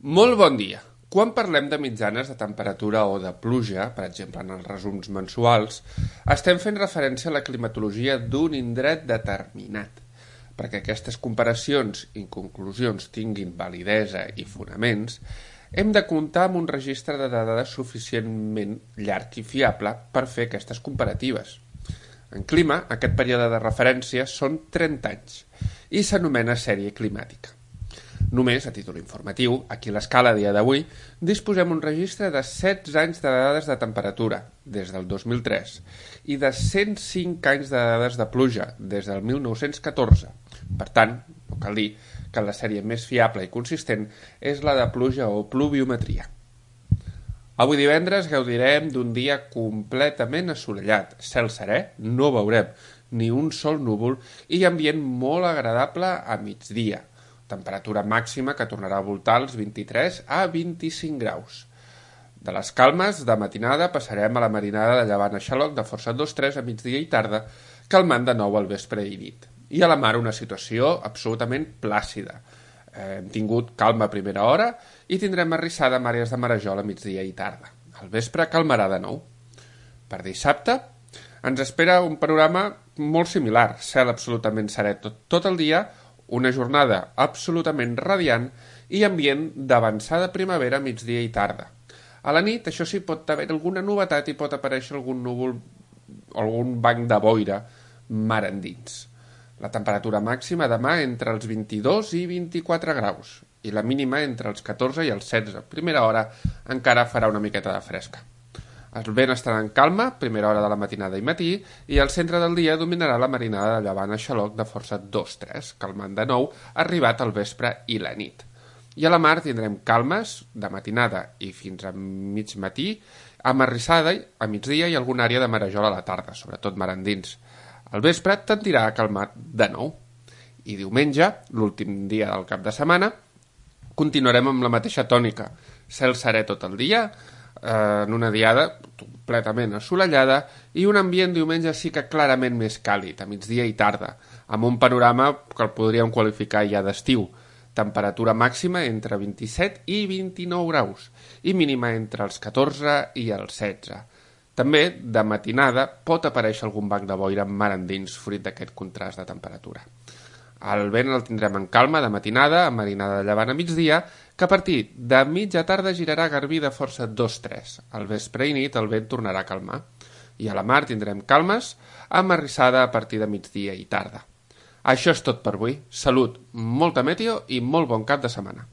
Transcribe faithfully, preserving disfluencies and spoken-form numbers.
Molt bon dia. Quan parlem de mitjanes de temperatura o de pluja, per exemple en els resums mensuals, estem fent referència a la climatologia d'un indret determinat. Perquè aquestes comparacions i conclusions tinguin validesa i fonaments, hem de comptar amb un registre de dades suficientment llarg i fiable per fer aquestes comparatives. En clima, aquest període de referència són trenta anys i s'anomena sèrie climàtica. Només, a títol informatiu, aquí a l'escala a dia d'avui, disposem un registre de setze anys de dades de temperatura, des del dos mil tres, i de cent cinc anys de dades de pluja, des del mil nou-cents catorze. Per tant, no cal dir que la sèrie més fiable i consistent és la de pluja o pluviometria. Avui divendres gaudirem d'un dia completament assolellat, cel serè, no veurem ni un sol núvol i ambient molt agradable a migdia. Temperatura màxima que tornarà a voltar els vint-i-tres a vint-i-cinc graus. De les calmes, de matinada, passarem a la marinada de llevant a xaloc de força dos tres a migdia i tarda, calmant de nou al vespre i nit. I a la mar una situació absolutament plàcida. Eh, hem tingut calma a primera hora i tindrem arrissada amb àrees de marejol a migdia i tarda. Al vespre calmarà de nou. Per dissabte ens espera un panorama molt similar, cel absolutament serè tot, tot el dia, una jornada absolutament radiant i ambient d'avançada primavera, migdia i tarda. A la nit, això sí, pot haver alguna novetat i pot aparèixer algun núvol o algun banc de boira mar endins. La temperatura màxima demà entre els vint-i-dos i vint-i-quatre graus i la mínima entre els catorze i els setze. A primera hora encara farà una miqueta de fresca. El vent estarà en calma, primera hora de la matinada i matí, i al centre del dia dominarà la marinada de llevant a xaloc de força dos tres, calmant de nou, arribat al vespre i la nit. I a la mar tindrem calmes de matinada i fins a mig matí, amb arrissada a migdia i alguna àrea de marejol a la tarda, sobretot mar endins. Al vespre tendirà a calmar de nou. I diumenge, l'últim dia del cap de setmana, continuarem amb la mateixa tònica. Cel serè tot el dia, en una diada completament assolellada i un ambient diumenge sí que clarament més càlid, a migdia i tarda, amb un panorama que el podríem qualificar ja d'estiu. Temperatura màxima entre vint-i-set i vint-i-nou graus i mínima entre els catorze i els setze. També, de matinada, pot aparèixer algun banc de boira mar endins, fruit d'aquest contrast de temperatura. El vent el tindrem en calma de matinada, amb marinada de llevant a migdia, que a partir de mitja tarda girarà a garbí de força dos tres. Al vespre i nit el vent tornarà a calmar. I a la mar tindrem calmes, amb arrissada a partir de migdia i tarda. Això és tot per avui. Salut, molta meteo i molt bon cap de setmana.